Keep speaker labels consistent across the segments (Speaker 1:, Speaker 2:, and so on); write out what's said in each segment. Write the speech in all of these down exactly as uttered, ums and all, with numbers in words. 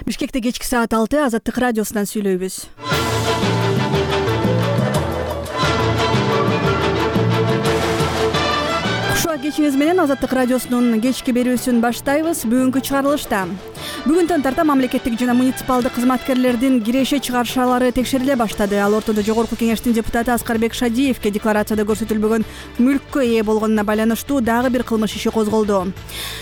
Speaker 1: Бишкекте кечки саат алты Азаттык радиосунан сүйлөйбүз. Кушуа кечиңиз менен Азаттык радиосунун кечки берүүсүн баштайбыз. Бүгүнкү чыгарылышта бүгүндөн тарта мамлекеттик жана муниципалдык кызматкерлердин киреше чыгарышалары текшериле баштады. Ал ортодо Жогорку кеңештин депутаты Аскарбек Шадиевке декларацияда көрсөтүлбөгөн мүлккө ээ болгонуна байланыштуу дагы бир кылмыш иши козголду.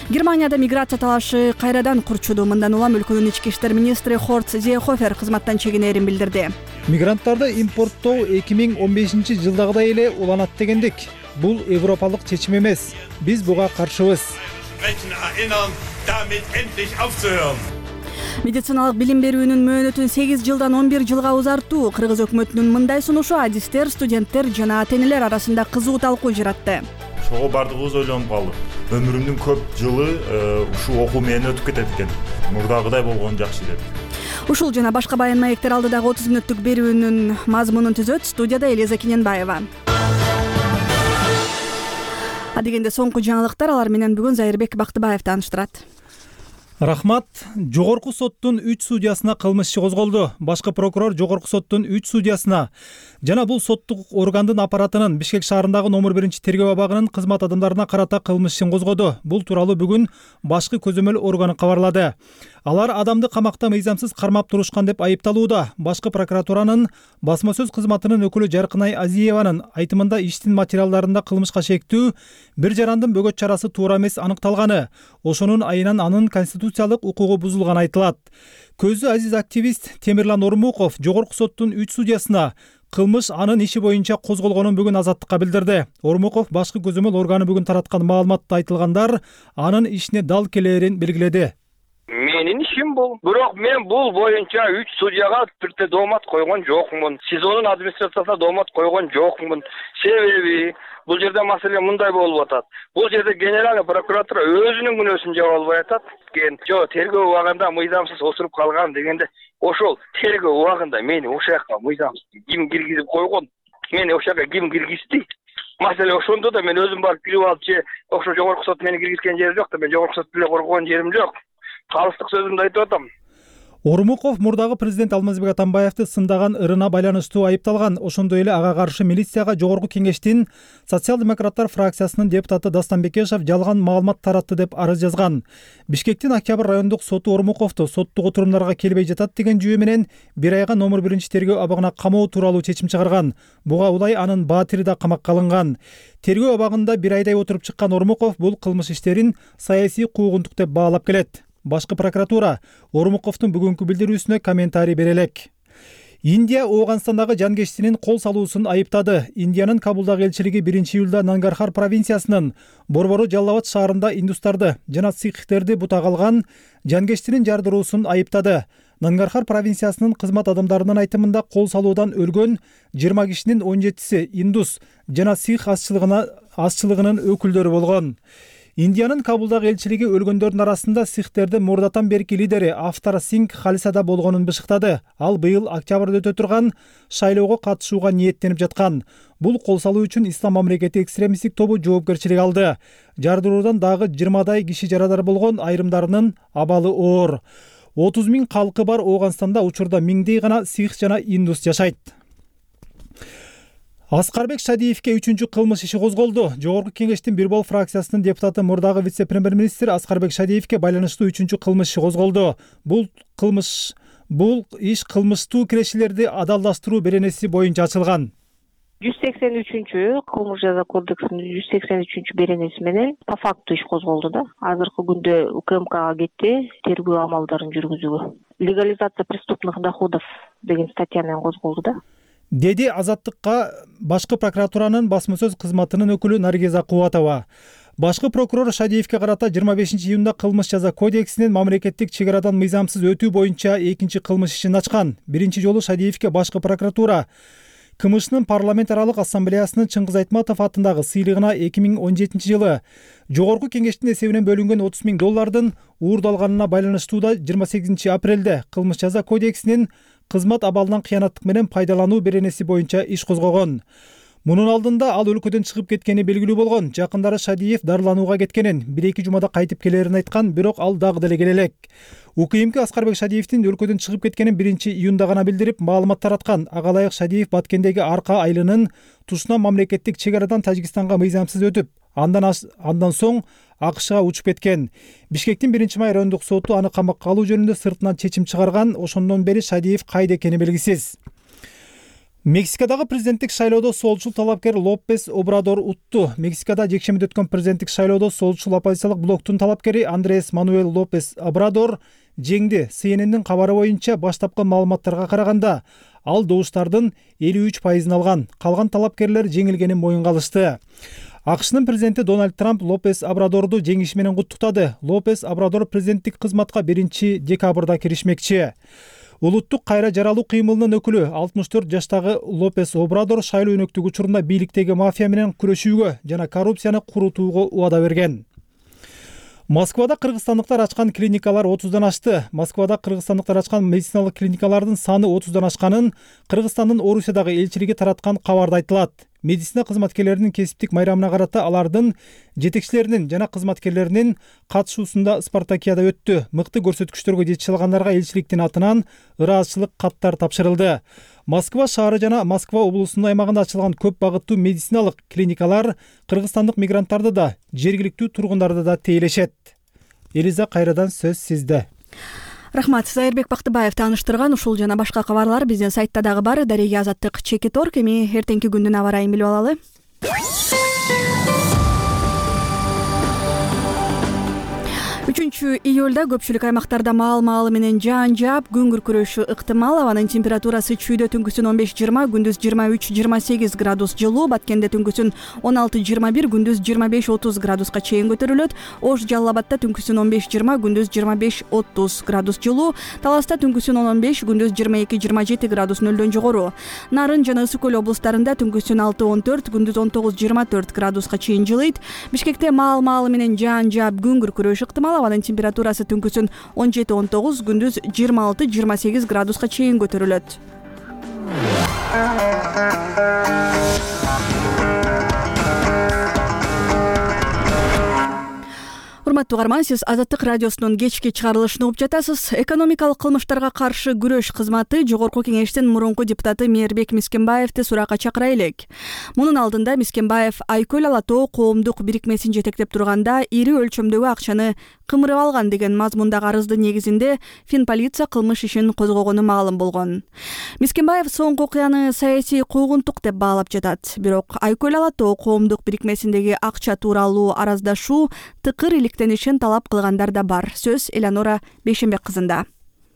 Speaker 1: Германияда миграция талашы кайрадан курчуду. Мындан улам өлкөнүн ички иштер министри Хорст Зеехофер кызматтан чегинерин билдирди.
Speaker 2: Мигранттарды импорттоо эки миң он бешинчи жылдагыдай эле уланат дегендик. Бул европалык чечим эмес. Биз буга каршыбыз.
Speaker 1: Медициналык билим берүүнүн мөөнөтүн сегиз жылдан он бир жылга узартуу Кыргыз өкмөтүнүн мындай сунушу адистер, студенттер жана ата-энелер арасында кызуу талкуу жаратты.
Speaker 3: Ошого бардыгыбыз ойлонуп калдык. Өмүрүмдүн көп жылы ушул окуу менен өтүп кетет экен. Мурдагыдай болгон жакшы деп.
Speaker 1: Ушул жана башка баян маектер алдыдагы отуз мүнөттүк берүүнүн мазмунун түзөт. Студияда Элиза Кененбаева. Адегенде соңку жаңылыктар, алар менен бүгүн Зайырбек Бактыбаев тааныштырат.
Speaker 2: Рахмат. Жогорку соттун үч судьясына кылмыш иши козголду. Башкы прокурор Жогорку соттун үч судьясына жана бул соттук органдын аппаратынын Бишкек шаарындагы номер биринчи тергөө абагынын кызмат адамдарына карата кылмыш ишин козгоду. Бул тууралуу бүгүн башкы көзөмөл органы кабарлады. Алар адамды камакта мыйзамсыз кармап турушкан деп айыпталууда. Башкы прокуратуранын басма сөз кызматынын өкүлү Жаркынай Азиеванын айтымында иштин материалдарында кылмышка шектүү бир жарандын бөгөт чарасы туура эмес аныкталганы, ошонун айынан анын конституциялык укугу бузулганы айтылат. Көзү азиз активист Темирлан Ормуков Жогорку соттун үч судьясына кылмыш анын иши боюнча козголгонун бүгүн Азаттыкка билдирди. Ормуков башкы көзөмөл органы бүгүн тараткан маалыматта айтылгандар анын ишине дал келээрин белгиледи.
Speaker 4: Менин ишим бул. Бирок мен бул боюнча үч судьяга бирде доомат койгон жокмун. СИЗОнун администрациясына доомат койгон жокмун. Себеби бул жерде маселе мындай болуп атат. Бул жерде генеральный прокуратура өзүнүн күнөөсүн жаба албай атат. Жо тергөө убагында мыйзамсыз отуруп калган дегенде, ошол тергөө убагында мени ошол жака мыйзамсыз ким киргизип койгон? Мени ошол жака ким киргизди? Маселе ошондо да мен өзүм барып кирип алып же ошо Жогорку сот мени киргизген жери жок да, мен Жогорку сот деле коргон жерим жок. Калыстык сөзүмдү айтып атам.
Speaker 2: Ормуков мурдагы президент Алмазбек Атамбаевди сындаган ырына байланыштуу айыпталган. Ошондой эле ага каршы милицияга Жогорку кеңештин социал-демократтар фракциясынын депутаты Дастан Бекешев жалган маалымат таратты деп арыз жазган. Бишкектин Октябрь райондук соту Ормуковду соттук отурумдарга келбей жатат деген жүйө менен бир айга номер биринчи тергөө абагына камоо тууралуу чечим чыгарган. Буга улай анын баатири да камакка алынган. Тергөө абагында бир айдай отуруп чыккан Ормуков бул кылмыш иштерин саясий куугунтук деп баалап келет. Башкы прокуратура Ормуковдун бүгүнкү билдирүүсүнө комментарий бере элек. Индия Ооганстандагы жанкечтинин кол салуусун айыптады. Индиянын Кабулдагы элчилиги биринчи июлда Нангархар провинциясынын Борбору Жаллабад шаарында индустарды жана сикхтерди бутага алган жанкечтинин жардыруусун айыптады. Нангархар провинциясынын кызмат адамдарынын айтымында кол салуудан өлгөн жыйырма кишинин он жетиси индус жана сикх азчылыгынын өкүлдөрү болгон. Индиянын Кабулдагы элчилиги өлгөндөрдүн арасында сикхтердин мурдатан берки лидери Афтар Сингх Халисада болгонун бышыктады. Ал быйыл октябрда өтө турган шайлоого катышууга ниеттенип жаткан. Бул кол салуу үчүн Ислам мамлекети экстремисттик тобу жоопкерчилик алды. Жардыруудан дагы жыйырмадай киши жарадар болгон, айрымдарынын абалы оор. отуз миң калкы бар Ооганстанда учурда миңдей гана сикх жана индус жашайт. Аскарбек Шадиевке үчүнчү кылмыш иши козголду. Жогорку кеңештин Бирбол фракциясынын депутаты мурдагы вице-премьер-министр Аскарбек Шадиевке байланыштуу үчүнчү кылмыш иши козголду. Бул кылмыш бул иш кылмыштуу кирешилерди адалдаштыруу беренеси боюнча ачылган.
Speaker 5: жүз сексен үчүнчү кылмыш жаза кодексинин жүз сексен үчүнчү беренеси менен по факту иш козголду да. Азыркы күндө УКМКга кетти тергөө амалдарын жүргүзүүгө. Легализация преступных доходов деген статья менен козголду да.
Speaker 2: Деди Азаттыкка башкы прокуратуранын басма сөз кызматынын өкүлү Наргиза Кубатова. Башкы прокурор Шадиевке карата жыйырма бешинчи июнда кылмыш жаза кодексинин мамлекеттик чек арадан мыйзамсыз өтүү боюнча экинчи кылмыш ишин ачкан. Биринчи жолу Шадиевке башкы прокуратура КМШнын парламент аралык ассамблеясынын Чыңгыз Айтматов атындагы сыйлыгына эки миң он жетинчи жылы Жогорку кеңештин эсебинен бөлүнгөн отуз миң доллардын уурдалганына байланыштуу да жыйырма сегизинчи апрелде кылмыш жаза кодексинин кызмат абалынан кыянаттык менен пайдалануу беренеси боюнча иш козгогон. Мунун алдында ал өлкөдөн чыгып кеткени белгилүү болгон. Жакындары Шадиев дарыланууга кеткенин, бир эки жумада кайтып келерин айткан, бирок ал дагы деле келе элек. УКМК Аскарбек Шадиевдин өлкөдөн чыгып кеткенин биринчи июнда гана билдирип, маалымат тараткан. Ага ылайык Шадиев Баткендеги Арка айылынын тушуна мамлекеттик чек арадан Тажикстанга мыйзамсыз өтүп, андан андан соң АКШга учуп кеткен. Бишкектин биринчи май райондук соту аны камакка алуу жөнүндө сыртынан чечим чыгарган. Ошондон бери Шадиев кайда экени белгисиз. Мексикадагы президенттик шайлоодо солчул талапкер Лопес Обрадор утту. Мексикада жекшемиде өткөн президенттик шайлоодо солчул оппозициялык блоктун талапкери Андрес Мануэл Лопес Обрадор жеңди. Си Эн Эн'дин кабары боюнча баштапкы маалыматтарга караганда ал добуштардын элүү үч пайызын алган. Калган талапкерлер жеңилгенин моюнга алышты. АКШнын президенти Дональд Трамп Лопес Обрадорду жеңиши менен куттуктады. Лопес Обрадор президенттик кызматка биринчи декабрда киришмекчи. Улуттук кайра жаралуу кыймылынын өкүлү алтымыш төрт жаштагы Лопес Обрадор шайлоо өнөктүк учурунда бийликтеги мафия менен күрөшүүгө жана коррупцияны курутууга убада берген. Москвада кыргызстандыктар ачкан клиникалар отуздан ашты. Москвада кыргызстандыктар ачкан медициналык клиникалардын саны отуздан ашканын Кыргызстандын Орусиядагы элчилиги тараткан кабарда айтылат. Медицина кызматкерлеринин кесиптик майрамына карата алардын жетекчилеринин жана кызматкерлеринин катышуусунда спартакиада өттү. Мыкты көрсөткүчтөргө жетише алгандарга элчиликтин атынан ыраазычылык каттар тапшырылды. Москва шаары жана Москва облусунун аймагында ачылган көп багыттуу медициналык клиникалар кыргызстандык мигранттарды да, жергиликтүү тургундарды да тейлешет. Элиза, кайрадан сөз сизде.
Speaker 1: Рахмат. Зайырбек Бактыбаев тааныштырган ушул жана башка кабарлар биздин сайтта дагы бар. Дареге Азаттык чекит точка орг. Эми эртеңки күндүн аба ырайын билип алалы. үчүнчү июлда көпчүлүк аймактарда маал-маалы менен жаан жаап, күн күркүрөшү ыктымал. Абанын температурасы чүйдө түнкүсүн он беш жыйырма, күндүз жыйырма үч жыйырма сегиз градус жылуу, Баткенде түнкүсүн он алты жыйырма бир, күндүз жыйырма беш отуз градуска чейин көтөрүлөт. Ош Жалал Абадта түнкүсүн он беш жыйырма, күндүз жыйырма беш отуз градус жылуу, Таласта түнкүсүн он беш, күндүз жыйырма эки жыйырма жети градус нөлдөн жогору. Нарын жана Ысык көл облустарында түнкүсүн алты он төрт, күндүз он тогуз жыйырма төрт градуска чейин жылыйт. Бишкекте маал-маалы менен жаан жаап, күн күркүрөшү ыктымал. Абанын температурасы түнкүсүн он жети он тогуз, күндүз жыйырма алты жыйырма сегиз градуска чейин көтөрүлөт. Урматтуу угарман, сиз Азаттык радиосунун кечки чыгарылышын угуп жатасыз. Экономикалык кылмыштарга каршы күрөш кызматы Жогорку Кеңештин мурунку депутаты Мээрбек Мискенбаевди суракка чакыра элек. Мунун алдында Мискенбаев Айкөл Ала Тоо коомдук бирикмесин жетектеп турганда ири өлчөмдөгү акчаны кымырып алган деген мазмундагы арыздын негизинде Финполиция кылмыш ишин козгогону маалым болгон. Мискенбаев соңку окуяны саясий куугунтук деп баалап жатат. Бирок Айкөл Ала Тоо коомдук бирикмесиндеги акча тууралуу араздашуу тыкыр иликтенишин талап кылгандар да бар. Сөз Элеонора Бейшенбек кызында.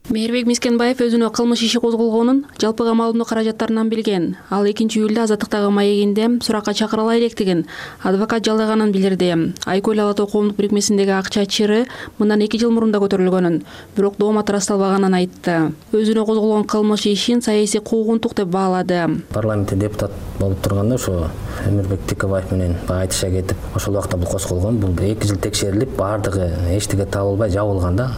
Speaker 6: Мээрбек Мискенбаев өзүнө кылмыш иши козголгонун жалпыга маалымдоо каражаттарынан билген. Ал экинчи июлда Азаттыктагы маегинде суракка чакырыла электигин адвокат жалдаганын билдирди. Айкөл Ала Тоо коомдук бирикмесиндеги акча чыры мындан эки жыл мурун да көтөрүлгөнүн, бирок доомат ырасталбаганын айтты. Өзүнө козголгон кылмыш ишин саясий куугунтук деп баалады.
Speaker 7: Парламентте депутат болуп турганда ошо Эмирбек Тикебаев менен баягы айтышка кетип, ошол убакта бул козголгон. Бул эки жыл текшерилип, баардыгы эчтеке табылбай жабылган да.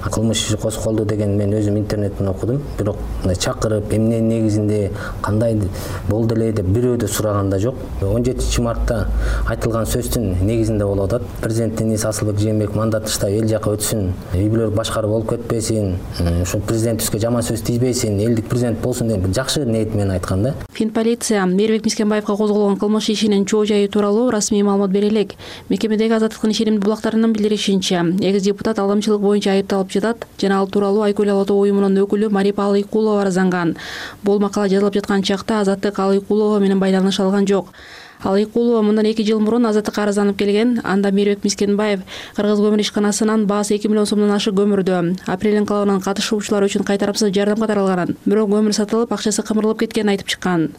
Speaker 7: Кылмыш иши козголду деген мен өзүм интернеттен окудум, бирок чакырып, эмненин негизинде, кандай болду эле деп бирөө да сураган да жок. он жетинчи мартта айтылган сөздүн негизинде болуп атат. Президенттин ээси Асылбек Жээнбеков мандат таштап эл жака өтсүн, үй бүлөлүк башкаруу болуп кетпесин, ошо президентибизге жаман сөз тийбесин, элдик президент болсун деп жакшы ниет менен айткан да.
Speaker 6: Финполиция Мээрбек Мискенбаевга козголгон кылмыш ишинин чоо жайы тууралуу расмий маалымат бере элек. Мекемедеги Азаттыктын ишенимдүү булактарынын билдиришинче, экс депутат алдамчылык боюнча айыпталып жатат жана ал тууралуу Айкөл Ала Тоо уюмунун өкүлү Марипа Алыйкулова арызанган. Бул макала жазылып жаткан чакта Азаттык Алыйкулова менен байланыш алган жок. Алыйкулова мындан эки жыл мурун Азаттыкка арызданып келген. Анда Мээрбек Мискенбаев Кыргыз көмүр ишканасынан баасы эки миллион сомдон ашык көмүрдү апрель инкылабынан катышуучулар үчүн кайтарымсыз жардам катарылганын, бирок көмүр сатылып, акчасы кымырылып кеткенин айтып чыккан.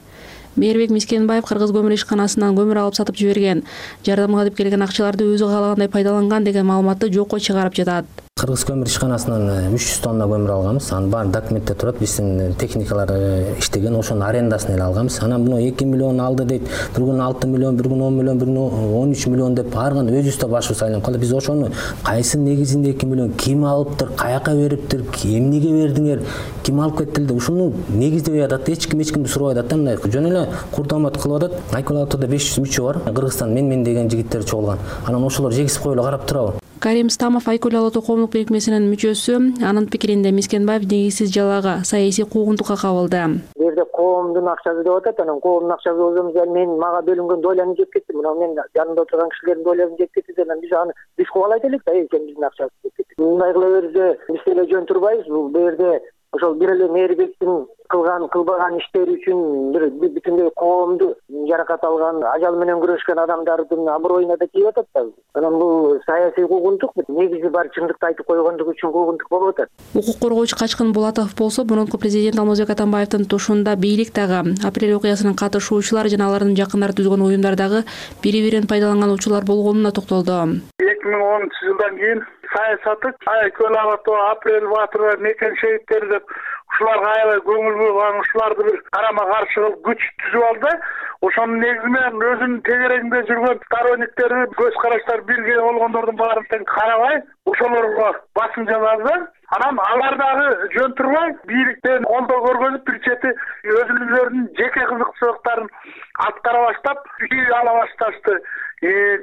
Speaker 6: Мээрбек Мискенбаев Кыргыз көмүр ишканасынан көмүр алып сатып жиберген, жардамга деп келген акчаларды өзү каалагандай пайдаланган деген маалыматты жокко чыгарып жатат.
Speaker 7: Кыргыз көмүр ишканасынан үч жүз тонна көмүр алганбыз. Анын баары документте турат. Биздин техникалар иштеген, ошонун арендасын эле алганбыз. Анан буну эки миллион алды дейт. Бир күн алты миллион, бир күн он миллион, бир күн он үч миллион деп ар кандай өзүбүз да башыбыз айланып калды. Биз ошону кайсы негизинде эки миллион ким алыптыр, каяка бериптир, эмнеге бердиңер, ким алып кетти деп ушуну негиздебей атат. Эч ким эч кимди сурабай атат да, мындай жөн эле курдамат кылып атат. Айкөл Алатоодо беш жүз мүчө бар. Кыргызстан мен мен деген жигиттер чогулган. Анан ошолор жегиз коюп карап турабы.
Speaker 6: Карим Стамов Айкөл Алатоо коомдук бирикмесинин мүчөсү. Анын пикиринде Мискенбаев негизсиз жалага, саясий куугунтукка кабылды.
Speaker 8: Бу жерде коомдун акчасы деп атат, анан коомдун акчасы болсо мен мага бөлүнгөн дойланы жеп кетти. Мына мен жанымда отурган кишилердин дойларын жеп кетти. Анан биз аны биз кубалайт элек да, экен биздин акчабыз жеп кетти. Мындай кыла берсе биз деле жөн турбайбыз. Бул жерде ошол бир эле мээрбектин кылган кылбаган иштери үчүн бир бүтүндөй коомду жаракат алган, ажал менен күрөшкөн адамдардын аброюна да тийип атат да. Анан бул саясий куугунтук, негизи бар чындыкты айтып койгондугу үчүн куугунтук болуп атат.
Speaker 6: Укук коргоочу Качкын Булатов болсо, мурунку президент Алмазбек Атамбаевдин тушунда бийлик дагы, апрель окуясынын катышуучулары жана алардын жакындары түзгөн уюмдар дагы бири-бирин пайдаланган учурлар болгонуна токтолду.
Speaker 9: эки миң онунчу жылдан кийин саясаты Айкөл Алатоо, Апрель Батыр, Мекен шейиттери деп ушуларга аябай көңүл бурган, ушуларды бир карама каршы кылып күч түзүп алды. Ошонун негизи менен өзүнүн тегерегинде жүргөн сторонниктери, көз караштар бирге болгондордун баарын тең карабай, ошолорго басым жасады. Анан алар дагы жөн турбай, бийликтен колдоо көргөнүп бир чети өзүлөрүнүн жеке кызыкчылыктарын аткара баштап, үй ала башташты.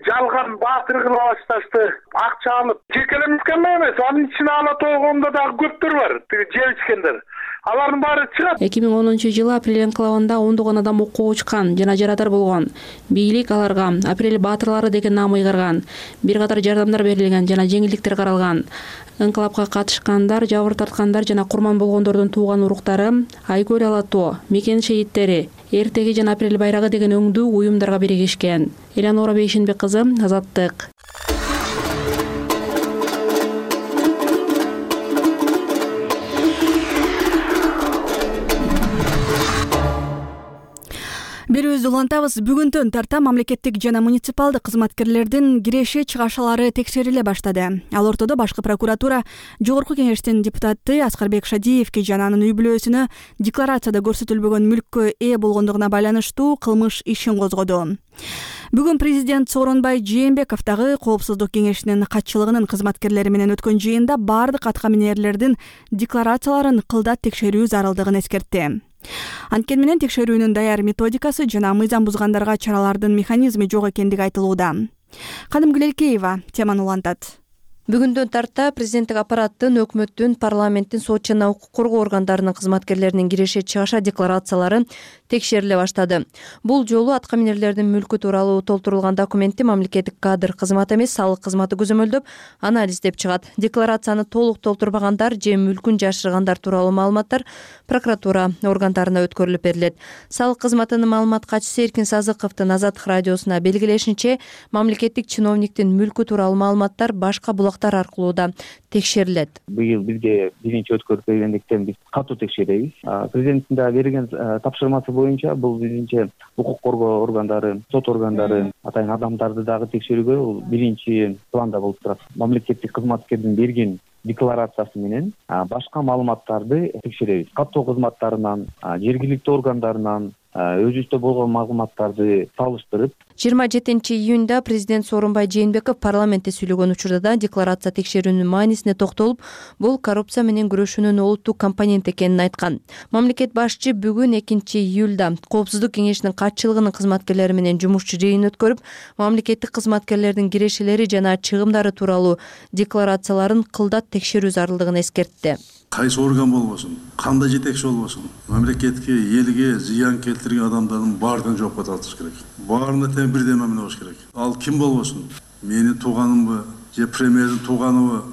Speaker 9: Жалган баатыр кыла башташты, акча алып. Жекелемискен эмес, анын ичинде Алатоо коомунда дагы көптөр бар, тиги жеп ичкендер. Алардын баары чыгат.
Speaker 6: эки миң онунчу жылы Апрель энклавында ондогон адам окууга учкан жана жарадар болгон. Бийлик аларга Апрель баатырлары деген наам ыйгарган. Бир катар жардамдар берилген жана жеңилдиктер каралган. Энклавга катышкандар, жабыр тарткандар жана курман болгондордун тууган уруктары Айкөл Алатоо, Мекен шейиттери, Эртеги жана Апрель байрагы деген өңдүү уюмдарга биригишкен. Элянора Бейшенбек кызы, Азаттык.
Speaker 1: Берүүбүздү улантабыз. Бүгүндөн тарта мамлекеттик жана муниципалдык кызматкерлердин киреше чыгаршалары текшериле баштады. Ал ортодо башкы прокуратура Жогорку кеңештин депутаты Аскарбек Шадиевке жана анын үй бүлөсүнө декларацияда көрсөтүлбөгөн мүлккө ээ болгондугуна байланыштуу кылмыш ишин козгоду. Бүгүн президент Сооронбай Жээнбеков дагы Коопсуздук кеңешинин катчылыгынын кызматкерлери менен өткөн жыйында бардык атка минерлердин декларацияларын кылдат текшерүү зарылдыгын эскертти. Анткени менен текшерүүнүн даяр методикасы жана мыйзам бузгандарга чаралардын механизми жок экендиги айтылууда. Кадымгүл Элкеева теманы улантат.
Speaker 10: Бүгүндөн тарта президенттик аппараттын, өкмөттүн, парламенттин, сот жана укук коргоо органдарынын кызматкерлеринин киреше чыгаша декларациялары текшериле баштады. Бул жолу атка минерлердин мүлкү тууралуу толтурулган документти мамлекеттик кадр кызматы эмес, салык кызматы көзөмөлдөп, анализдеп чыгат. Декларацияны толук толтурбагандар же мүлкүн жашыргандар тууралуу маалыматтар прокуратура органдарына өткөрүлүп берилет. Салык кызматынын маалымат катчысы Эркин Сазыковдун Азаттык радиосуна белгилешинче, мамлекеттик чиновниктин мүлкү тууралуу маалыматтар башка булактар аркылуу да текшерилет.
Speaker 11: Быйыл бизге биринчи өткөрүп бергендиктен биз катуу текшеребиз. Президенттин да берген тапшырмасы боюнча бул бизинче укук коргоо органдары, сот органдары, атайын адамдарды дагы текшерүүгө бул биринчи планда болуп турат. Мамлекеттик кызматкердин берген декларациясы менен башка маалыматтарды текшеребиз. Каттоо кызматтарынан, жергиликтүү органдарынан өзүбүздө болгон маалыматтарды салыштырып.
Speaker 10: жыйырма жетинчи июнда президент Сооронбай Жээнбеков парламентте сүйлөгөн учурда да декларация текшерүүнүн маанисине токтолуп, бул коррупция менен күрөшүүнүн олуттуу компонент экенин айткан. Мамлекет башчы бүгүн экинчи июлда Коопсуздук кеңешинин катчылыгынын кызматкерлери менен жумушчу жыйын өткөрүп, мамлекеттик кызматкерлердин кирешелери жана чыгымдары тууралуу декларацияларын кылдат текшерүү зарылдыгын эскертти.
Speaker 12: Кайсы орган болбосун, кандай жетекчи болбосун, мамлекетке, элге зыян келтирген адамдардын баардыгын жоопко тартыш керек. Баарына тең бирдей мамиле болуш керек. Ал ким болбосун, менин тууганымбы, же премьердин тууганыбы,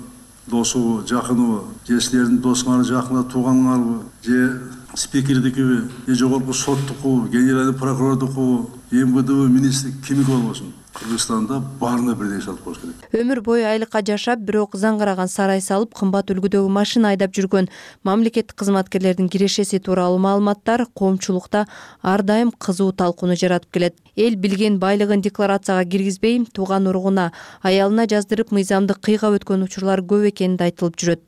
Speaker 12: досубу, жакыныбы, же силердин досуңар, жакыныңар, тууганыңарбы, же спикердикиби, же жогорку соттуку, генеральный прокурордуку, эм вэ дэ министрлик кимики болбосун. Кыргызстанда баарына бирдей иш алып коюш керек.
Speaker 10: Өмүр бою айлыкка жашап, бирок заңгараган сарай салып, кымбат үлгүдөгү машина айдап жүргөн мамлекеттик кызматкерлердин кирешеси тууралуу маалыматтар коомчулукта ар дайым кызуу талкууну жаратып келет. Эл билген байлыгын декларацияга киргизбей, тууган уругуна, аялына жаздырып мыйзамды кыйгап өткөн учурлар көп экени да айтылып жүрөт.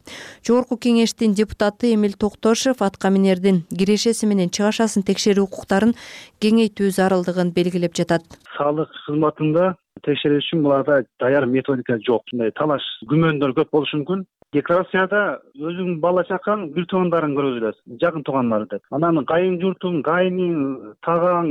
Speaker 10: Жогорку кеңештин депутаты Эмил Токтошев атка минердин кирешеси менен чыгашасын текшерүү укуктарын кеңейтүү зарылдыгын белгилеп жатат.
Speaker 13: Салык кызматында текшерүү үчүн буларда даяр методика жок. Мындай талаш, күмөндөр көп болушу мүмкүн. Декларацияда өзүң бала чакаң, бир туугандарын көргөзүлөт, жакын туугандар деп. Анан кайын журтуң, кайының, таагаң,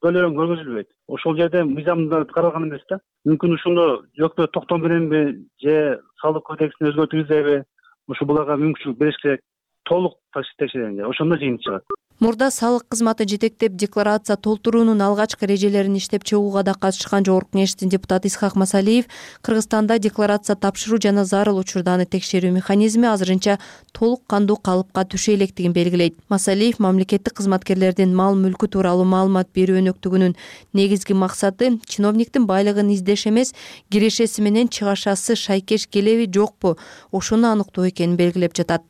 Speaker 13: бөлөң көргөзүлбөйт. Ошол жерде мыйзамда каралган эмес да. Мүмкүн ушуну өкмөт токтом беренби, же салык кодексин өзгөртүүбүзбү, ушу буларга мүмкүнчүлүк бериш керек. Толук текшеренде, ошондо жыйынтык чыгат.
Speaker 10: Мурда салык кызматы жетектеп декларация толтуруунун алгачкы эрежелерин иштеп чыгууга да катышкан Жогорку кеңештин депутаты Исхак Масалиев Кыргызстанда декларация тапшыруу жана зарыл учурданы текшерүү механизми азырынча толук кандуу калыпка түшө электигин белгилейт. Масалиев мамлекеттик кызматкерлердин мал мүлкү тууралуу маалымат берүү өнөктүгүнүн негизги максаты чиновниктин байлыгын издеш эмес, кирешеси менен чыгашасы шайкеш келеби жокпу, ошону аныктоо экенин белгилеп жатат.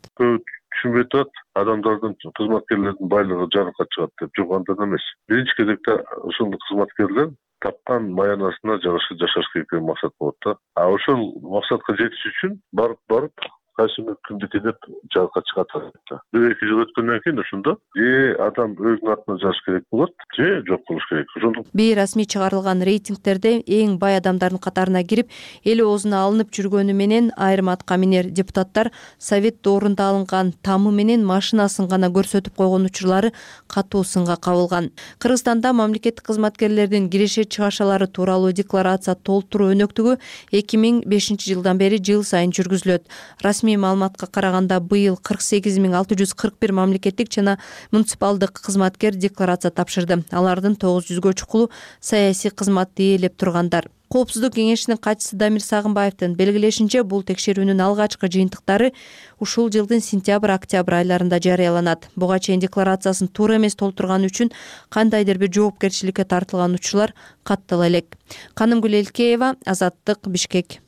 Speaker 14: Түшүнбөй турат, адамдардын, кызматкерлердин байлыгы жарыкка чыгат деп жок, андай эмес. Биринчи кезекте ушул кызматкерлер тапкан маянасына жараша жашаш керек деген максат болот да. А ошол максатка жетиш үчүн барып барып кайсы мүмкүндүк деп жарыкка чыгат да. Бир эки жыл өткөндөн кийин ошондо же адам өзүнүн атына жазыш керек болот, же жок болуш керек. Ошондо
Speaker 10: бейрасмий чыгарылган рейтингтерде эң бай адамдардын катарына кирип, эл оозуна алынып жүргөнү менен айрым атка минер депутаттар совет доорунда алынган тамы менен машинасын гана көрсөтүп койгон учурлары катуу сынга кабылган. Кыргызстанда мамлекеттик кызматкерлердин киреше чыгашалары тууралуу декларация толтуруу өнөктүгү эки миң бешинчи жылдан бери жыл сайын жүргүзүлөт. Расмий маалыматка караганда быйыл кырк сегиз миң алты жүз кырк бир мамлекеттик жана муниципалдык кызматкер декларация тапшырды. Алардын тогуз жүзгө чукулу саясий кызматты ээлеп тургандар. Коопсуздук кеңешинин катчысы Дамир Сагынбаевдин белгилешинче, бул текшерүүнүн алгачкы жыйынтыктары ушул жылдын сентябрь-октябрь айларында жарыяланат. Буга чейин декларациясын туура эмес толтурганы үчүн кандайдыр бир жоопкерчиликке тартылган учурлар каттала элек. Канымгүл Элкеева, Азаттык, Бишкек.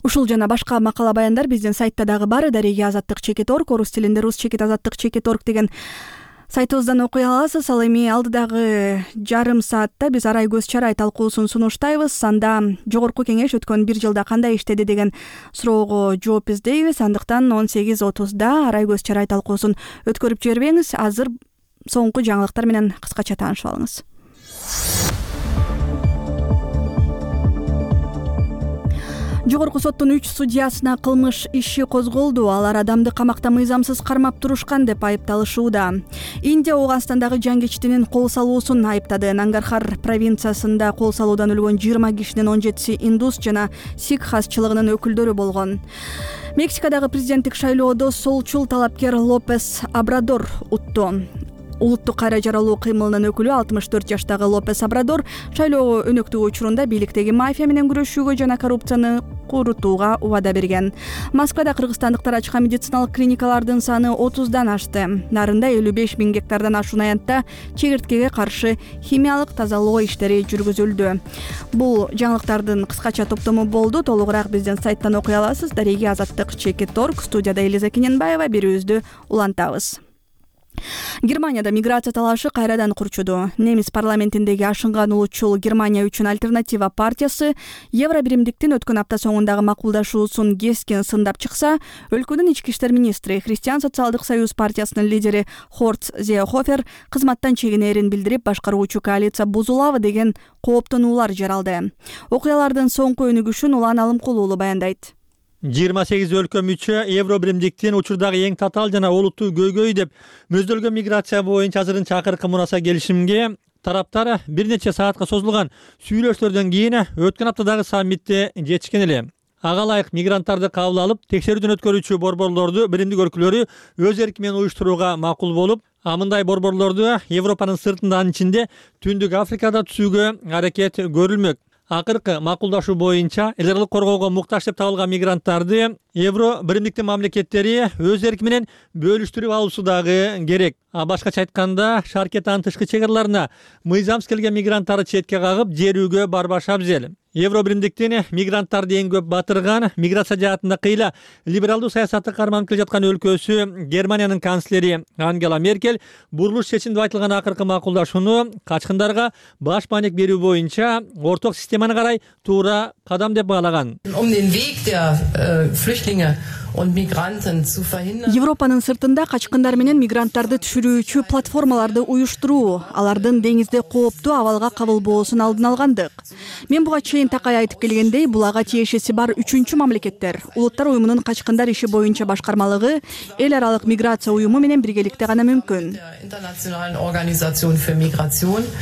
Speaker 1: Ушул жана башка макала баяндар биздин сайтта дагы бар. Дареги Азаттык чекит точка орг, орус тилинде рус чекит азаттык чекит точка орг деген сайтыбыздан окуй аласыз. Ал эми алдыдагы жарым саатта биз арай көз чарай талкуусун сунуштайбыз. Анда жогорку кеңеш өткөн бир жылда кандай иштеди деген суроого жооп издейбиз. Андыктан он сегиз отузда арай көз чарай талкуусун өткөрүп жибербеңиз. Азыр соңку жаңылыктар менен кыскача таанышып алыңыз. Жогорку соттун үч судьясына кылмыш иши козголду. Алар адамды камакта мыйзамсыз кармап турушкан деп айыпталышууда. Индия Ооганстандагы жангичтинин кол салуусун айыптады. Нангархар провинциясында кол салуудан өлгөн жыйырма кишинин он жетиси индус жана сикх хасчылыгынын өкүлдөрү болгон. Мексикадагы президенттик шайлоодо солчул талапкер Лопес Обрадор утту. Улуттук кайра жаралуу кыймылынын өкүлү алтымыш төрт жаштагы Лопес Обрадор шайлоо өнөктүгү учурунда бийликтеги мафия менен күрөшүүгө жана коррупцияны курутууга убада берген. Москвада кыргызстандыктар ачкан медициналык клиникалардын саны отуздан ашты. Нарында элүү беш миң гектардан ашуун аянтта чегирткеге каршы химиялык тазалоо иштери жүргүзүлдү. Бул жаңылыктардын кыскача топтому болду. Толугураак биздин сайттан окуй аласыз. Дареги Азаттык чекит точка орг. Студияда Элиза Кененбаева, берүүбүздү улантабыз. Германияда миграция талашы кайрадан курчуду. Немис парламентиндеги ашынган улутчул Германия үчүн альтернатива партиясы Евро биримдиктин өткөн апта соңундагы макулдашуусун кескин сындап чыкса, өлкөнүн ички иштер министри Христиан социалдык союз партиясынын лидери Хорст Зеехофер кызматтан чегинерин билдирип, башкаруучу коалиция бузулабы деген кооптонуулар жаралды. Окуялардын соңку өнүгүшүн Улан Алымкулуулу баяндайт.
Speaker 15: жыйырма сегиз өлкө мүчө Евро биримдиктин учурдагы эң татаал жана олуттуу көйгөй деп мөздөлгөн миграция боюнча азырынча акыркы мураса келишимге тараптар бир нече саатка созулган сүйлөшүүлөрдөн кийин өткөн аптадагы саммитте жетишкен эле. Ага ылайык мигранттарды кабыл алып, текшерүүдөн өткөрүүчү борборлорду биримдик өлкөлөрү өз эрки менен уюштурууга макул болуп, а мындай борборлорду Европанын сыртында, анын ичинде Түндүк Африкада түзүүгө аракет көрүлмөк. акыркы макулдашуу боюнча эл аралык коргоого муктаж деп табылган мигранттарды Евро биримдиктин мамлекеттери өз эрки менен бөлүштүрүп алуусу дагы керек. А башкача айтканда, шаркеттин тышкы чек араларына мыйзамсыз келген мигранттарды четке кагып, жерүүгө барбаш абзел. Евро биримдиктин мигранттарды эң көп батырган, миграция жаатында кыйла либералдуу саясатты карманып келе жаткан өлкөсү Германиянын канцлери Ангела Меркель бурулуш чечим деп айтылган акыркы макулдашууну качкындарга баш маанек берүү боюнча орток системаны карай туура кадам деп баалаган.
Speaker 1: Европанын сыртында качкындар менен мигранттарды түшүрүүчү платформаларды уюштуруу, алардын деңизде кооптуу абалга кабылбоосун алдын алгандык. Мен буга чейин такай айтып келгендей, бул ага тиешеси бар үчүнчү мамлекеттер. Улуттар уюмунун качкындар иши боюнча башкармалыгы эл аралык миграция уюму менен биргеликте гана мүмкүн.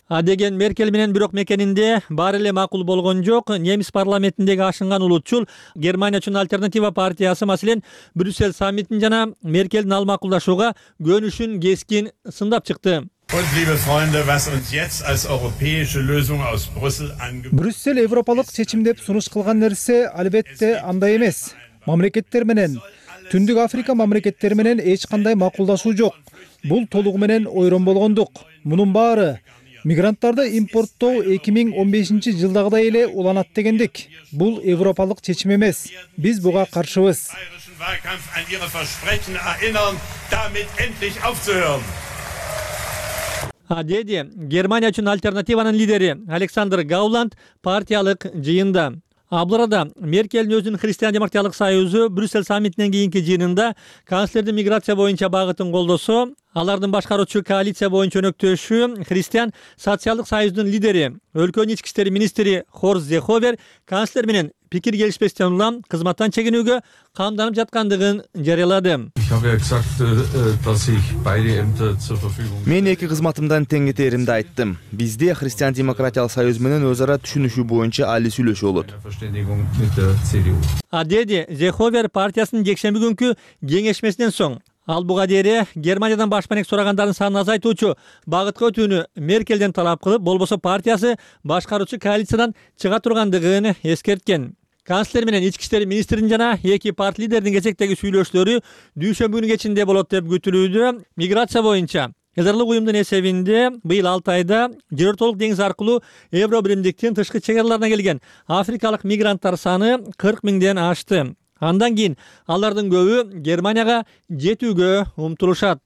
Speaker 15: А деген Меркель менен бирок мекенинде баары эле макул болгон жок. Немис парламентиндеги ашынган улутчул Германия үчүн альтернатива партиясы маселен Брюссель саммитин жана Меркелдин ал макулдашууга көнүшүн кескин сындап чыкты.
Speaker 2: Брюссель европалык чечим деп сунуш кылган нерсе албетте андай эмес. Мамлекеттер менен, Түндүк Африка мамлекеттери менен эч кандай макулдашуу жок. Бул толугу менен ойрон болгондук. Мунун баары мигранттарды импорттоо эки миң он бешинчи жылдагыдай эле уланат дегендик. Бул европалык чечим эмес. Биз буга каршыбыз.
Speaker 15: А деди Германия үчүн альтернативанын лидери Александр Гауланд партиялык жыйында. Абларада Меркелдин өзүнүн Христиан демократиялык союзу Брюссель саммитинен кийинки жыйынында канцлердин миграция боюнча багытын колдосо, алардын башкаруучу коалиция боюнча өнөктөшү Христиан социалдык союздун лидери, өлкөнүн ички иштер министри Хорст Зеховер канцлер менен пикир келишпестен улам кызматтан чегинүүгө камданып жаткандыгын жарыялады.
Speaker 16: Мен эки кызматымдан тең кетеримди айттым. Бизде Христиан демократиялык союз менен өз ара түшүнүшүү боюнча али сүйлөшүү болот.
Speaker 15: А деди Зеховер партиясынын жекшемби күнкү кеңешмесинен соң ал буга дейре Германиядан баш маанек сурагандардын санын азайтуучу багытка өтүүнү Меркелден талап кылып, болбосо партиясы башкаруучу коалициядан чыга тургандыгын эскерткен. Канцлер менен ички иштер министринин жана эки парт лидердин кезектеги сүйлөшүүлөрү дүйшөмбү күнү кечинде болот деп күтүлүүдө. Миграция боюнча эл аралык уюмдун эсебинде быйыл алты айда жер ортолук деңиз аркылуу Евро биримдиктин тышкы чек араларына келген африкалык мигранттар саны кырк миңден ашты. Андан кийин алардын көбү Германияга жетүүгө умтулушат.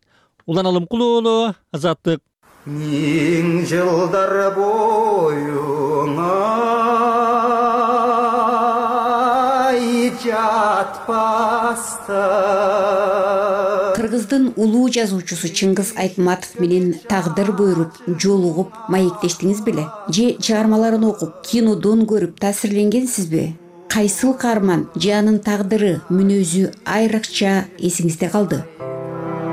Speaker 15: Улан Алымкулуу, Азаттык.
Speaker 17: Миң жылдар боюңа жатпастан.
Speaker 18: Кыргыздын улуу жазуучусу Чыңгыз Айтматов менен тагдыр буйруп, жолугуп, маектештиңиз беле? Же чыгармаларын окуп, кинодон көрүп таасирленгенсизби? Кайсыл каарман же анын тагдыры, мүнөзү айрыкча эсиңизде калды?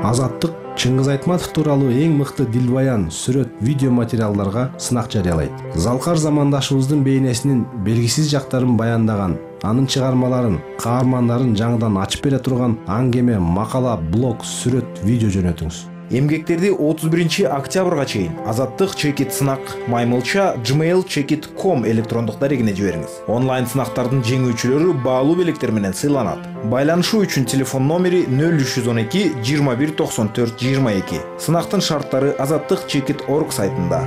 Speaker 19: Азаттык Чыңгыз Айтматов тууралуу эң мыкты дилбаян, сүрөт, видео материалдарга сынак жарыялайт. Залкар замандашыбыздын бейнесинин белгисиз жактарын баяндаган, анын чыгармаларын, каармандарын жаңыдан ачып бере турган аңгеме, макала, блог, сүрөт, видео жөнөтүңүз.
Speaker 20: Эмгектерди отуз биринчи октябрга чейин Азаттык чекит сынак маймылча gmail чекит точка ком электрондук дарегине жибериңиз. Онлайн сынактардын жеңүүчүлөрү баалуу белектер менен сыйланат. Байланышуу үчүн телефон номери нөл үч жүз он эки жыйырма бир токсон төрт жыйырма эки. Сынактын шарттары азаттык чекит точка орг сайтында.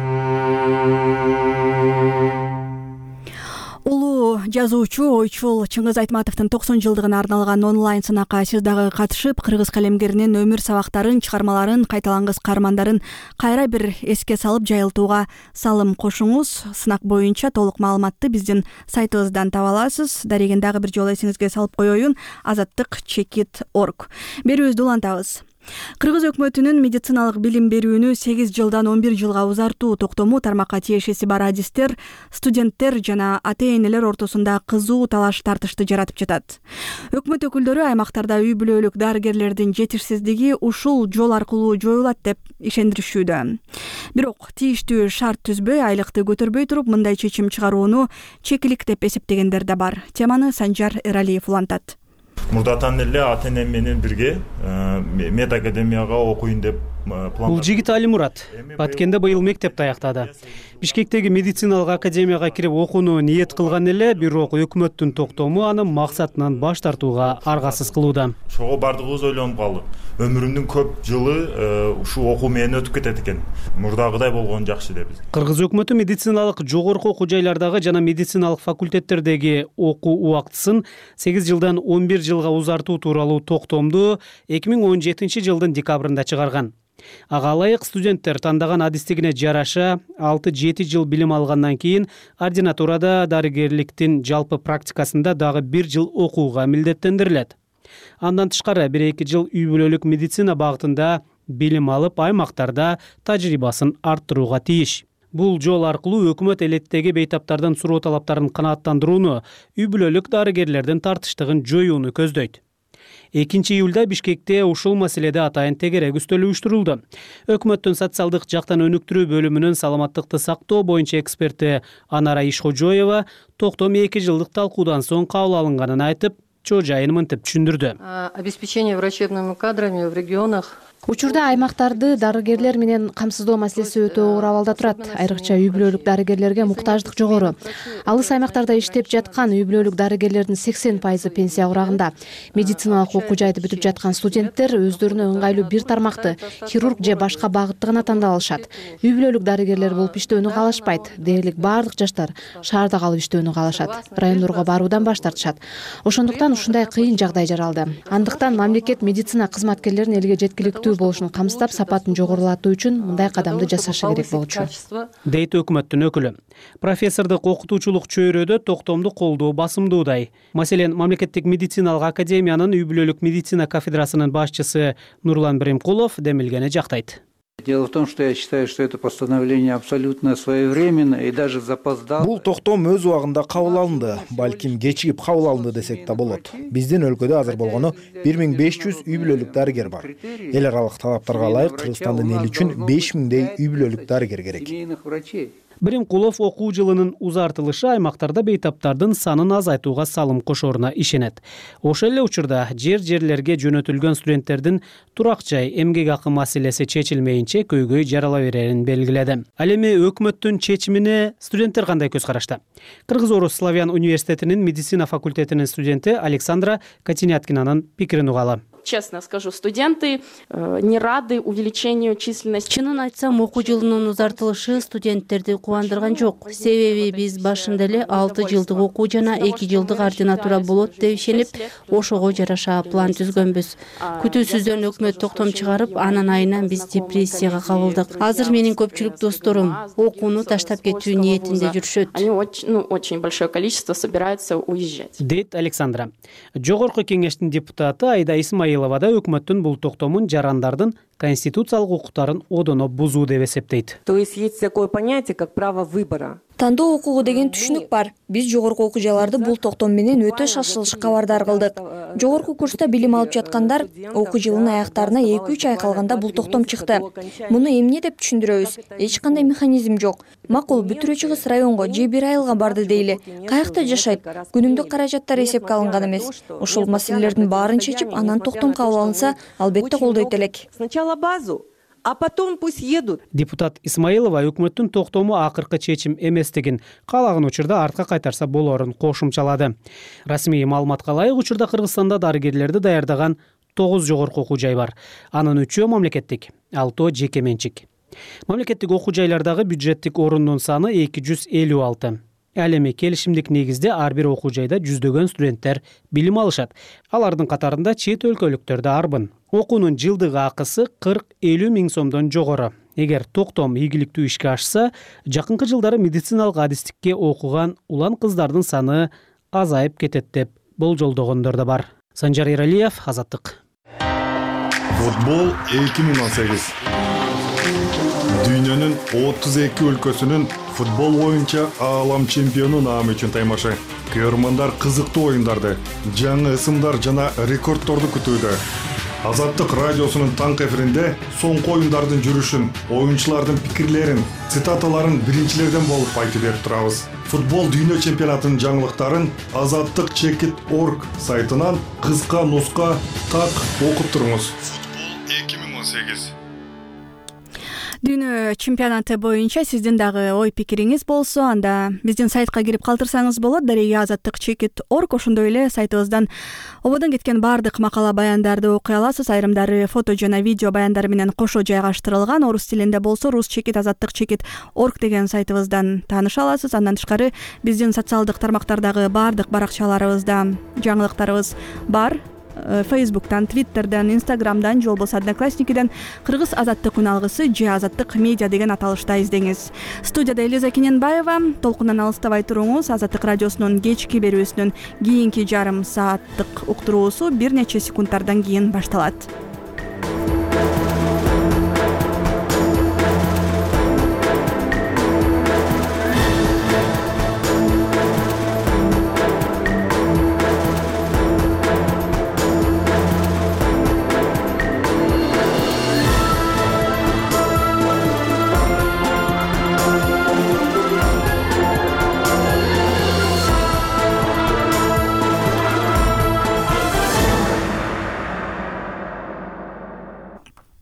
Speaker 1: Улуу жазуучу, ойчул Чыңгыз Айтматовдун токсон жылдыгына арналган онлайн сынакка сиз дагы катышып, кыргыз калемгеринин өмүр сабактарын, чыгармаларын, кайталангыс каармандарын кайра бир эске салып жайылтууга салым кошуңуз. Сынак боюнча толук маалыматты биздин сайтыбыздан таба аласыз. Дарегин дагы бир жолу эсиңизге салып коеюн: азаттык чекит точка орг. Берүүбүздү улантабыз. Кыргыз өкмөтүнүн медициналык билим берүүнү сегиз жылдан он бир жылга узартуу токтому тармакка тиешеси бар адистер, студенттер жана ата-энелер ортосунда кызуу талаш тартышты жаратып жатат. Өкмөт өкүлдөрү аймактарда үй бүлөлүк дарыгерлердин жетишсиздиги ушул жол аркылуу жоюлат деп ишендиришүүдө. Бирок тийиштүү шарт түзбөй, айлыкты көтөрбөй туруп мындай чечим чыгарууну чекилик деп эсептегендер да бар. Теманы Санжар Эралиев улантат.
Speaker 3: мурдатан эле ата энем менен бирге мед академияга окуйн деп план.
Speaker 21: Бул жигит Алимурат Баткенде быйыл мектепти аяктады. Бишкектеги медициналык академияга кирип окууну ниет кылган эле, бирок өкмөттүн токтому аны максатынан баш тартууга аргасыз кылууда.
Speaker 3: Ошого бардыгыбыз ойлонуп калдык. Өмүрүмдүн көп жылы ушул окуу менен өтүп кетет экен. Мурдагыдай болгон жакшы деп.
Speaker 21: Кыргыз өкмөтү медициналык жогорку окуу жайлардагы жана медициналык факультеттердеги окуу убактысын сегиз жылдан он бир жылга узартуу тууралуу токтомду эки миң он жетинчи жылдын декабрында чыгарган. Ага ылайык студенттер тандаган адистигине жараша алты жети жыл билим алгандан кийин ординатурада дарыгерликтин жалпы практикасында дагы бир жыл окууга милдеттендирилет. Андан тышкары бир эки жыл үй бүлөлүк медицина багытында билим алып, аймактарда тажрыйбасын арттырууга тийиш. Бул жол аркылуу өкмөт элеттеги бейтаптардын суроо талаптарын канааттандырууну, үй бүлөлүк дарыгерлердин тартыштыгын жоюуну көздөйт. экинчи июлда Бишкекте ушул маселеде атайын тегерек үстөл уюштурулду. Өкмөттүн социалдык жактан өнүктүрүү бөлүмүнүн саламаттыкты сактоо боюнча эксперти Анара Ишходжоева токтом эки жылдык талкуудан соң кабыл алынганын айтып, чоо жайын мынтип түшүндүрдү.
Speaker 22: Обеспечение врачебными кадрами в регионах.
Speaker 23: Учурда аймактарды дарыгерлер менен камсыздоо маселеси өтө оор абалда турат. Айрыкча үй бүлөлүк дарыгерлерге муктаждык жогору. Алыс аймактарда иштеп жаткан үй бүлөлүк дарыгерлердин сексен пайызы пенсия курагында. Медициналык окуу жайды бүтүп жаткан студенттер өздөрүнө ыңгайлуу бир тармакты, хирург же башка багытты гана тандап алышат. Үй бүлөлүк дарыгерлер болуп иштөөнү каалашпайт. Дээрлик баардык жаштар шаарда калып иштөөнү каалашат. Райондорго баруудан баш тартышат. Ошондуктан ушундай кыйын жагдай жаралды. Андыктан мамлекет медицина кызматкерлерин элге жеткиликтүү болушун камсыздап, сапатын жогорулатуу үчүн мындай кадамды жасашы керек болчу,
Speaker 21: дейт өкмөттүн өкүлү. Профессордук окутуучулук чөйрөдө токтомду колдоо басымдуудай. Маселен, мамлекеттик медициналык академиянын үй бүлөлүк медицина кафедрасынын башчысы Нурлан Биримкулов демилгени жактайт.
Speaker 24: Дело в том, что я считаю, что это постановление абсолютно своевременно и даже запоздало.
Speaker 20: Бул токтом өз убагында кабыл алынды, балким кечигип кабыл алынды десек да болот. Биздин өлкөдө азыр болгону бир миң беш жүз үй бүлөлүк дарыгер бар. Эл аралык талаптарга ылайык Кыргызстандын эли үчүн беш миңдей үй бүлөлүк дарыгер керек.
Speaker 21: Биримкулов окуу жылынын узартылышы аймактарда бейтаптардын санын азайтууга салым кошоруна ишенет. Ошол эле учурда жер-жерлерге жөнөтүлгөн студенттердин турак жай, эмгек акы маселеси чечилмейинче көйгөй жарала берерин белгиледи. Ал эми өкмөттүн чечимине студенттер кандай көз карашта? Кыргыз-Орус славян университетинин медицина факультетинин студенти Александра Катиняткинанын пикирин угалы.
Speaker 25: Честно скажу, студенты не рады увеличению численности.
Speaker 26: Чынын айтсам, окуу жылынын узартылышы студенттерди кубандырган жок. Себеби биз башында эле алты жылдык окуу жана эки жылдык ординатура болот деп ишенип, ошого жараша план түзгөнбүз. Күтүүсүздөн өкмөт токтом чыгарып, анын айынан биз депрессияга кабылдык. Азыр менин көпчүлүк досторум окууну таштап кетүү ниетинде жүрүшөт.
Speaker 25: Они очень, ну, очень большое количество собираются уезжать.
Speaker 21: Дейт Александра. Жогорку кеңештин депутаты Айда Исмаилова да өкмөттүн бул токтомун жарандардын конституциялык укуктарын одоно бузуу деп эсептейт.
Speaker 27: То есть есть такое понятие, как право выбора.
Speaker 28: Тандоо укугу деген түшүнүк бар. Биз жогорку окуу жайларды бул токтом менен өтө шашылыш кабардар кылдык. Жогорку курста билим алып жаткандар окуу жылынын аяктарына эки үч ай калганда бул токтом чыкты. Муну эмне деп түшүндүрөбүз? Эч кандай механизм жок. Макул бүтүрө чыгыс районго же бир айылга барды дейли. Каякта жашайт? Күнүмдүк каражаттар эсепке алынган эмес. Ошол маселелердин баарын чечип, анан токтом кабыл алынса, албетте колдойт элек.
Speaker 27: Сначала базу, а потом пусть едут.
Speaker 21: Депутат Исмаилова өкмөттүн токтому акыркы чечим эместигин, каалаган учурда артка кайтарса болорун кошумчалады. Расмий маалыматка ылайык, учурда Кыргызстанда дарыгерлерди даярдаган тогуз жогорку окуу жай бар. Анын үчөө мамлекеттик, алтоо жеке менчик. Мамлекеттик окуу жайлардагы бюджеттик орундун саны эки жүз элүү алты. Ал эми келишимдик негизде ар бир окуу жайда жүздөгөн студенттер билим алышат. Алардын катарында чет өлкөлүктөр да арбын. Окуунун жылдык акысы кырк элүү миң сомдон жогору. Эгер токтом ийгиликтүү ишке ашса, жакынкы жылдары медициналык адистикке окуган улан кыздардын саны азайып кетет деп болжолдогондор да бар. Санжар Эралиев, Азаттык.
Speaker 29: Футбол эки миң он сегиз. Дүйнөнүн отуз эки өлкөсүнүн футбол боюнча аалам чемпиону наамы үчүн таймашы. Көрөрмандар кызыктуу оюндарды, жаңы ысымдар жана рекордторду күтүүдө. Азаттык радиосунун таңкы эфиринде соңку оюндардын жүрүшүн, оюнчулардын пикирлерин, цитаталарын биринчилерден болуп айтып берип турабыз. Футбол дүйнө чемпионатынын жаңылыктарын азаттык чекит точка орг сайтынан кыска нуска так окуп туруңуз. Футбол эки миң он сегиз.
Speaker 1: Дүйнө чемпионаты боюнча сиздин дагы ой пикириңиз болсо, анда биздин сайтка кирип калтырсаңыз болот. Дареги азаттык чекит точка орг. Ошондой эле сайтыбыздан ободон кеткен баардык макала баяндарды окуй аласыз. Айрымдары фото жана видео баяндар менен кошо жайгаштырылган. Орус тилинде болсо рус чекит азаттык чекит точка орг деген сайтыбыздан тааныша аласыз. Андан тышкары биздин социалдык тармактардагы баардык баракчаларыбызда жаңылыктарыбыз бар. Фейсбуктан, Твиттерден, Инстаграмдан же болбосо Одноклассникиден Кыргыз азаттык үн алгысы же азаттык медиа деген аталышта издеңиз. Студияда Элиза Кененбаева. Толкундан алыстабай туруңуз. Азаттык радиосунун кечки берүүсүнүн кийинки жарым сааттык уктуруусу бир нече секундтардан кийин башталат.